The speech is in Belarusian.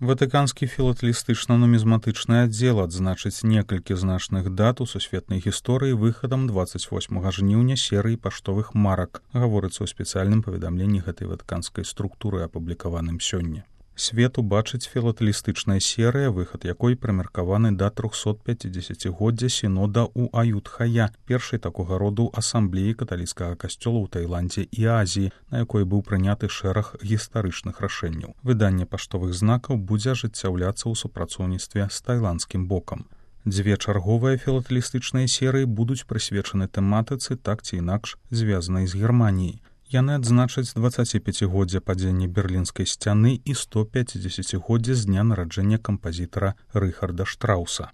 Ватыканскі філатэлістычна-нумізматычны аддзел адзначыць некалькі значных дат у сусветнай гісторыі выхадам 28 жніўня серыі паштовых марак, гаворыцца ў спецыяльным паведамленні гэтай ватыканскай структуры, апублікаваным сёння. Свет убачыць філатэлістычная серыя, выхад якой прымеркаваны да 350-годдзя сінода ў Аютхая, першай такога роду асамблеі каталіцкага касцёла ў Таіландзе і Азіі, на якой быў прыняты шэраг гістарычных рашэнняў. Выданне паштовых знакаў будзе ажыццяўляцца ў супрацоўніцтве з тайландскім бокам. Дзве чарговыя філатэлістычныя серыі будуць прысвечаны тэматыцы, так ці інакш звязанай з Германіяй. Яны адзначаць 25-годдзя падзення Берлінскай сцяны і 150-годдзя з дня нараджэння кампазітара Рыхарда Штрауса.